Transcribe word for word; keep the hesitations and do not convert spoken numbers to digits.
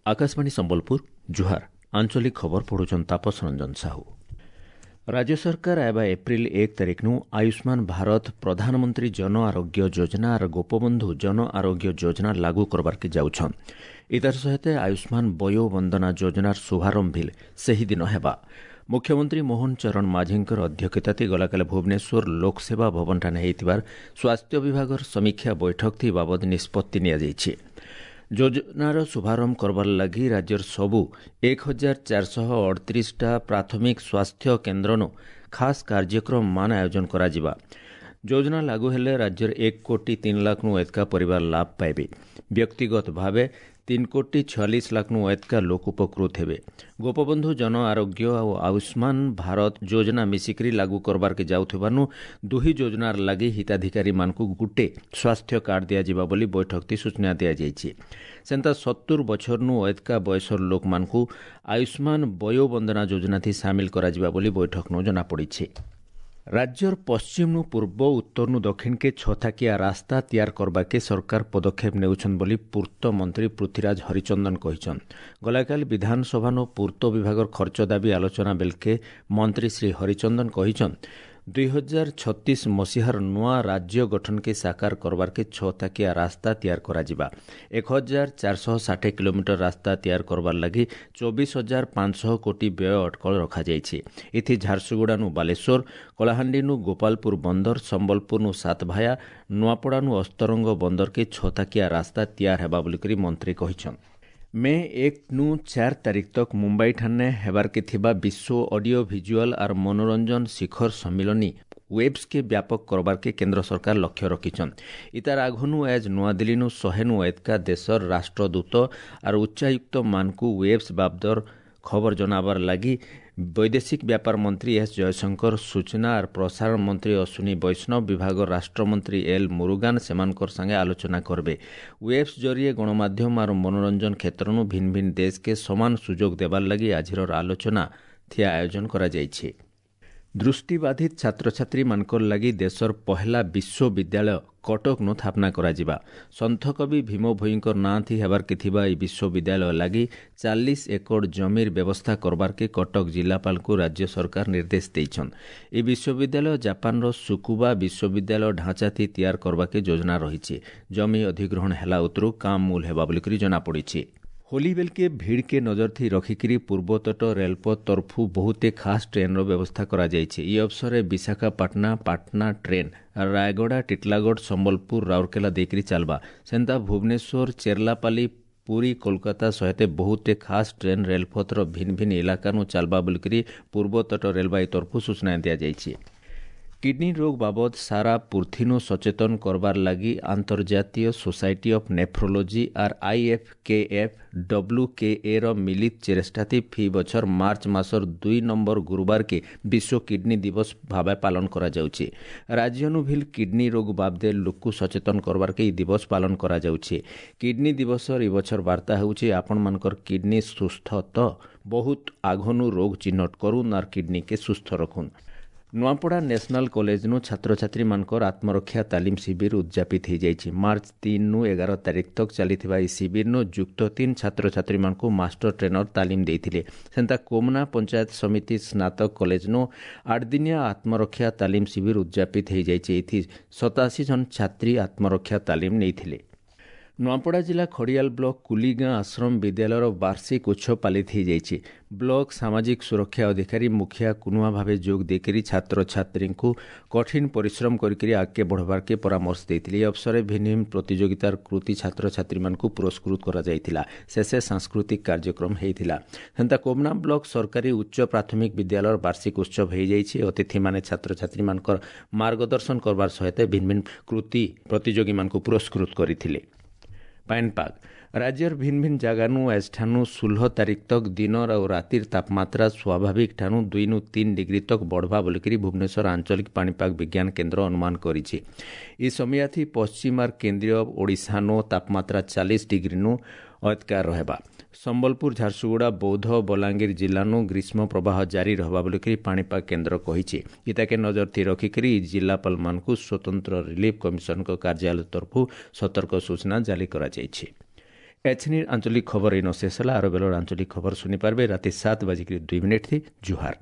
Akashvani Sambalpur ଜୁହାର ଆଞ୍ଚଳିକ ଖବର ପଢୁଛନ୍ ତାପସ ରଞ୍ଜନ ସାହୁ ରାଜ୍ୟ ସରକାର ଆଇବା ଏପ୍ରିଲ ଏକ ତାରିଖନୁ ଆୟୁଷ୍ମାନ ଭାରତ ପ୍ରଧାନମନ୍ତ୍ରୀ ଜନ ଆରୋଗ୍ୟ ଯୋଜନା ଆର୍ ଗୋପବନ୍ଧୁ ଜନ ଆରୋଗ୍ୟ ଯୋଜନା ଲାଗୁ କରବାର୍କେ ଯାଉଛନ୍ ଇତାର ସହିତ ଆୟୁଷ୍ମାନ ବୟୋ ବନ୍ଦନା ଯୋଜନାର ଶୁଭାରମ୍ଭ ସେହିଦିନ ହେବା ମୁଖ୍ୟମନ୍ତ୍ରୀ ମୋହନ ଚରଣ ମାଝୀଙ୍କର ଅଧ୍ୟକ୍ଷତାତି ଗଲାକାଲି ଭୁବନେଶ୍ୱର ଲୋକସେବା ଭବନଠାନେ ହେଇଥିବାର ସ୍ୱାସ୍ଥ୍ୟ ବିଭାଗର ସମୀକ୍ଷା ବୈଠକ ବାବଦ ନିଷ୍ପତ୍ତି ନିଆଯାଇଛି ଯୋଜନାର ଶୁଭାରମ୍ଭ କରବାର୍ ଲାଗି ରାଜ୍ୟର ସବୁ ଏକ ହଜାର ଚାରିଶହ ଅଠତିରିଶଟା ପ୍ରାଥମିକ ସ୍ୱାସ୍ଥ୍ୟ କେନ୍ଦ୍ରନୁ ଖାସ୍ କାର୍ଯ୍ୟକ୍ରମ ମାନ ଆୟୋଜନ କରାଯିବା ଯୋଜନା ଲାଗୁ ହେଲେ ରାଜ୍ୟର ଏକ କୋଟି ତିନି ଲାଖନୁ ଏତକା ପରିବାର ଲାଭ ପାଇବେ ବ୍ୟକ୍ତିଗତ ଭାବେ ତିନି କୋଟି ଛୟାଳିଶ ଲାଖନୁ ଏତକା ଲୋକ ଉପକୃତ ହେବେ ଗୋପବନ୍ଧୁ ଜନ ଆରୋଗ୍ୟ ଆଉ ଆୟୁଷ୍ମାନ ଭାରତ ଯୋଜନା ମିଶିକରି ଲାଗୁ କରବାର୍କେ ଯାଉଥିବାନୁ ଦୁହି ଯୋଜନାର ଲାଗି ହିତାଧିକାରୀମାନଙ୍କୁ ଗୁଟେ ସ୍ୱାସ୍ଥ୍ୟ କାର୍ଡ ଦିଆଯିବା ବୋଲି ବୈଠକଟି ସୂଚନା ଦିଆଯାଇଛି ସେନ୍ତା ସତୁର ବଛରନୁ ଏତକା ବୟସର ଲୋକମାନଙ୍କୁ ଆୟୁଷ୍ମାନ ବୟୋ ବନ୍ଦନା ଯୋଜନାଥି ସାମିଲ କରାଯିବା ବୋଲି ବୈଠକନୁ ଜଣାପଡ଼ିଛି ରାଜ୍ୟର ପଶ୍ଚିମନୁ ପୂର୍ବ ଉତ୍ତରନୁ ଦକ୍ଷିଣକେ ଛଥାକିଆ ରାସ୍ତା ତିଆର କରବାକେ ସରକାର ପଦକ୍ଷେପ ନେଉଛନ୍ ବୋଲି ପୂର୍ତ୍ତ ମନ୍ତ୍ରୀ ପୃଥ୍ୱୀରାଜ ହରିଚନ୍ଦନ କହିଛନ୍ ଗଲାକାଲି ବିଧାନସଭାନୁ ପୂର୍ତ୍ତ ବିଭାଗର ଖର୍ଚ୍ଚ ଦାବି ଆଲୋଚନା ବେଲକେ ମନ୍ତ୍ରୀ ଶ୍ରୀ ହରିଚନ୍ଦନ କହିଛନ୍ ଦୁଇ ହଜାର ଛତିଶ ମସିହାର ନୂଆ ରାଜ୍ୟ ଗଠନକେ ସାକାର କରବାର୍କେ ଛଥାକିଆ ରାସ୍ତା ତିଆର କରାଯିବା ଏକ ହଜାର ଚାରିଶହ ଷାଠିଏ କିଲୋମିଟର ରାସ୍ତା ତିଆର କରବାର୍ ଲାଗି ଚବିଶ ହଜାର ପାଞ୍ଚଶହ କୋଟି ବ୍ୟୟ ଅଟକଳ ରଖାଯାଇଛି ଏଥି ଝାରସୁଗୁଡ଼ାନୁ ବାଲେଶ୍ୱର କଳାହାଣ୍ଡିନୁ ଗୋପାଳପୁର ବନ୍ଦର ସମ୍ବଲପୁରନୁ ସାତଭାୟା ନୂଆପଡ଼ାନୁ ଅସ୍ତରଙ୍ଗ ବନ୍ଦରକେ ଛଥାକିଆ ରାସ୍ତା ତିଆର ହେବା ବୋଲିକରି ମନ୍ତ୍ରୀ କହିଛନ୍ ମେ ଏକ ନୁ ଚାର ତାରିଖ ତକ ମୁମ୍ବାଇ ଠାନେ ହେବାର୍କେ ଥିବା ବିଶ୍ୱ ଅଡିଓ ଭିଜୁଆଲ ଆର୍ ମନୋରଞ୍ଜନ ଶିଖର ସମ୍ମିଳନୀ ୱେବ୍ସକେ ବ୍ୟାପକ କରବାର୍କେ କେନ୍ଦ୍ର ସରକାର ଲକ୍ଷ୍ୟ ରଖିଛନ୍ ଇତାର ଆଘନୁ ଆଜ୍ ନୂଆଦିଲ୍ଲୀନୁ ଶହେନୁ ଏତକା ଦେଶର ରାଷ୍ଟ୍ରଦୂତ ଆର୍ ଉଚ୍ଚାୟୁକ୍ତମାନଙ୍କୁ ୱେବ୍ସ ବାବଦର ଖବର ଜଣାବାର ଲାଗି ବୈଦେଶିକ ବ୍ୟାପାର ମନ୍ତ୍ରୀ ଏସ୍ ଜୟଶଙ୍କର ସୂଚନା ଆର୍ ପ୍ରସାରଣ ମନ୍ତ୍ରୀ ଅଶ୍ୱିନୀ ବୈଷ୍ଣବ ବିଭାଗ ରାଷ୍ଟ୍ରମନ୍ତ୍ରୀ ଏଲ୍ ମୁରୁଗାନ ସେମାନଙ୍କର ସାଙ୍ଗେ ଆଲୋଚନା କରବେ ୱେବ୍ସ ଜରିଏ ଗଣମାଧ୍ୟମ ଆର୍ ମନୋରଞ୍ଜନ କ୍ଷେତ୍ରନୁ ଭିନ୍ନ ଭିନ୍ନ ଦେଶକେ ସମାନ ସୁଯୋଗ ଦେବାର ଲାଗି ଆଜିର ଆଲୋଚନା ଥିଆ ଆୟୋଜନ କରାଯାଇଛି ଦୃଷ୍ଟିବାଧିତ ଛାତ୍ରଛାତ୍ରୀମାନଙ୍କର ଲାଗି ଦେଶର ପହେଲା ବିଶ୍ୱବିଦ୍ୟାଳୟ କଟକନୁ ସ୍ଥାପନା କରାଯିବା ସନ୍ଥକବି ଭୀମ ଭୋଇଙ୍କର ନାଁଥି ହେବାର୍କେ ଥିବା ଏହି ବିଶ୍ୱବିଦ୍ୟାଳୟ ଲାଗି ଚାଳିଶ ଏକର ଜମିର ବ୍ୟବସ୍ଥା କରବାର୍କେ କଟକ ଜିଲ୍ଲାପାଳଙ୍କୁ ରାଜ୍ୟ ସରକାର ନିର୍ଦ୍ଦେଶ ଦେଇଛନ୍ ଏହି ବିଶ୍ୱବିଦ୍ୟାଳୟ ଜାପାନର ସୁକୁବା ବିଶ୍ୱବିଦ୍ୟାଳୟ ଢାଞ୍ଚାଥି ତିଆର କରବାକେ ଯୋଜନା ରହିଛି ଜମି ଅଧିଗ୍ରହଣ ହେଲା ଉତରୁ କାମ ମୂଲ ହେବା ବୋଲିକରି ଜଣାପଡ଼ିଛି ହୋଲି ବେଲକେ ଭିଡ଼କେ ନଜର ଥି ରଖିକିରି ପୂର୍ବତଟ ରେଳପଥ ତରଫୁ ବହୁତେ ଖାସ୍ ଟ୍ରେନ୍ର ବ୍ୟବସ୍ଥା କରାଯାଇଛି ଏହି ଅବସରରେ ବିଶାଖାପାଟଣା ପାଟନା ଟ୍ରେନ୍ ରାୟଗଡ଼ା ଟିଟଲାଗଡ଼ ସମ୍ବଲପୁର ରାଉରକେଲା ଦେଇକରି ଚାଲବା ସେନ୍ତା ଭୁବନେଶ୍ୱର ଚେର୍ଲାପାଲି ପୁରୀ କୋଲକାତା ସହିତ ବହୁତେ ଖାସ୍ ଟ୍ରେନ୍ ରେଳପଥର ଭିନ୍ନ ଭିନ୍ନ ଇଲାକାନୁ ଚାଲବା ବୋଲିକରି ପୂର୍ବତଟ ରେଳବାଇ ତରଫୁ ସୂଚନା ଦିଆଯାଇଛି କିଡନୀ ରୋଗ ବାବଦ ସାରା ପୃଥିନୁ ସଚେତନ କରବାର୍ ଲାଗି ଆନ୍ତର୍ଜାତୀୟ ସୋସାଇଟି ଅଫ୍ ନେଫ୍ରୋଲୋଜି ଆର୍ ଆଇଏଫ୍କେଏଫ୍ ଡବ୍ଲ୍ୟୁକେଏ ର ମିଳିତ ଚେଷ୍ଟାଥି ଫି ବଛର ମାର୍ଚ୍ଚ ମାସର ଦୁଇ ନମ୍ବର ଗୁରୁବାରକେ ବିଶ୍ୱ କିଡନୀ ଦିବସ ଭାବେ ପାଳନ କରାଯାଉଛି ରାଜ୍ୟନୁ ଭିଲ୍ କିଡନୀ ରୋଗ ବାବଦେ ଲୋକକୁ ସଚେତନ କରବାର୍କେ ଏହି ଦିବସ ପାଳନ କରାଯାଉଛି କିଡନୀ ଦିବସର ଏ ବଛର ବାର୍ତ୍ତା ହେଉଛି ଆପଣମାନଙ୍କର କିଡନୀ ସୁସ୍ଥ ତ ବହୁତ ଆଘନୁ ରୋଗ ଚିହ୍ନଟ କରୁନ୍ ଆର୍ କିଡନୀକେ ସୁସ୍ଥ ରଖୁନ୍ ନୂଆପଡ଼ା ନ୍ୟାସନାଲ କଲେଜନୁ ଛାତ୍ରଛାତ୍ରୀମାନଙ୍କର ଆତ୍ମରକ୍ଷା ତାଲିମ ଶିବିର ଉଦଯାପିତ ହୋଇଯାଇଛି ମାର୍ଚ୍ଚ ତିନିରୁ ଏଗାର ତାରିଖ ତକ ଚାଲିଥିବା ଏହି ଶିବିରନୁ ଯୁକ୍ତ ତିନି ଛାତ୍ରଛାତ୍ରୀମାନଙ୍କୁ ମାଷ୍ଟର ଟ୍ରେନର ତାଲିମ ଦେଇଥିଲେ ସେନ୍ତା କୋମନା ପଞ୍ଚାୟତ ସମିତି ସ୍ନାତକ କଲେଜନୁ ଆଠଦିନିଆ ଆତ୍ମରକ୍ଷା ତାଲିମ ଶିବିର ଉଦଯାପିତ ହୋଇଯାଇଛି ଏଥି ସତାଅଶୀ ଜଣ ଛାତ୍ରୀ ଆତ୍ମରକ୍ଷା ତାଲିମ ନେଇଥିଲେ ନୂଆପଡ଼ା ଜିଲ୍ଲା ଖଡ଼ିଆଲ ବ୍ଲକ କୁଲିଗାଁ ଆଶ୍ରମ ବିଦ୍ୟାଳୟର ବାର୍ଷିକ ଉତ୍ସବ ପାଳିତ ହୋଇଯାଇଛି ବ୍ଲକ ସାମାଜିକ ସୁରକ୍ଷା ଅଧିକାରୀ ମୁଖିଆ କୁନୁଆ ଭାବେ ଯୋଗ ଦେଇକରି ଛାତ୍ରଛାତ୍ରୀଙ୍କୁ କଠିନ ପରିଶ୍ରମ କରିକରି ଆଗକେ ବଢ଼ବାର୍କେ ପରାମର୍ଶ ଦେଇଥିଲେ ଏହି ଅବସରରେ ଭିନ୍ନ ଭିନ୍ନ ପ୍ରତିଯୋଗିତାର କୃତି ଛାତ୍ରଛାତ୍ରୀମାନଙ୍କୁ ପୁରସ୍କୃତ କରାଯାଇଥିଲା ଶେଷେ ସାଂସ୍କୃତିକ କାର୍ଯ୍ୟକ୍ରମ ହୋଇଥିଲା ସେନ୍ତା କୋମନା ବ୍ଲକ ସରକାରୀ ଉଚ୍ଚ ପ୍ରାଥମିକ ବିଦ୍ୟାଳୟର ବାର୍ଷିକ ଉତ୍ସବ ହୋଇଯାଇଛି ଅତିଥିମାନେ ଛାତ୍ରଛାତ୍ରୀମାନଙ୍କର ମାର୍ଗଦର୍ଶନ କରବାର ସହିତ ଭିନ୍ନ ଭିନ୍ନ କୃତି ପ୍ରତିଯୋଗୀମାନଙ୍କୁ ପୁରସ୍କୃତ କରିଥିଲେ ପାଣିପାଗ ରାଜ୍ୟର ଭିନ୍ନ ଭିନ୍ନ ଜାଗାନୁ ଆଜଠାନୁ ଷୋହଳ ତାରିଖ ତକ ଦିନର ଆଉ ରାତିର ତାପମାତ୍ରା ସ୍ୱାଭାବିକ ଠାନୁ ଦୁଇନୁ ତିନି ଡିଗ୍ରୀ ତକ ବଢ଼ବା ବୋଲିକରି ଭୁବନେଶ୍ୱର ଆଞ୍ଚଳିକ ପାଣିପାଗ ବିଜ୍ଞାନ କେନ୍ଦ୍ର ଅନୁମାନ କରିଛି ଏ ସମୟାଥି ପଶ୍ଚିମ ଆର୍ କେନ୍ଦ୍ରୀୟ ଓଡ଼ିଶାନୁ ତାପମାତ୍ରା ଚାଳିଶ ଡିଗ୍ରୀନୁ ଅଧକା ରହିବା ସମ୍ବଲପୁର, ଝାରସୁଗୁଡ଼ା, ବୌଦ୍ଧ, ବଲାଙ୍ଗୀର ଜିଲ୍ଲାନୁ ଗ୍ରୀଷ୍ମ ପ୍ରବାହ ଜାରି ରହବା ବୋଲିକରି ପାଣିପାଗ କେନ୍ଦ୍ର କହିଛି। ଇତାକେ ନଜର ଥି ରଖିକରି ଜିଲ୍ଲାପାଳମାନଙ୍କୁ ସ୍ୱତନ୍ତ୍ର ରିଲିଫ୍ କମିଶନଙ୍କ କାର୍ଯ୍ୟାଳୟ ତରଫରୁ ସତର୍କ ସୂଚନା ଜାରି କରାଯାଇଛି। ଏଛିନିର ଆଞ୍ଚଳିକ ଖବର ଇନ ଶେଷ ହେଲା। ଆର ବେଲର ଆଞ୍ଚଳିକ ଖବର ଶୁଣିପାରିବେ ରାତି ସାତ ବାଜିକରି ଦୁଇ ମିନିଟ୍ ଥି। ଜୁହାର।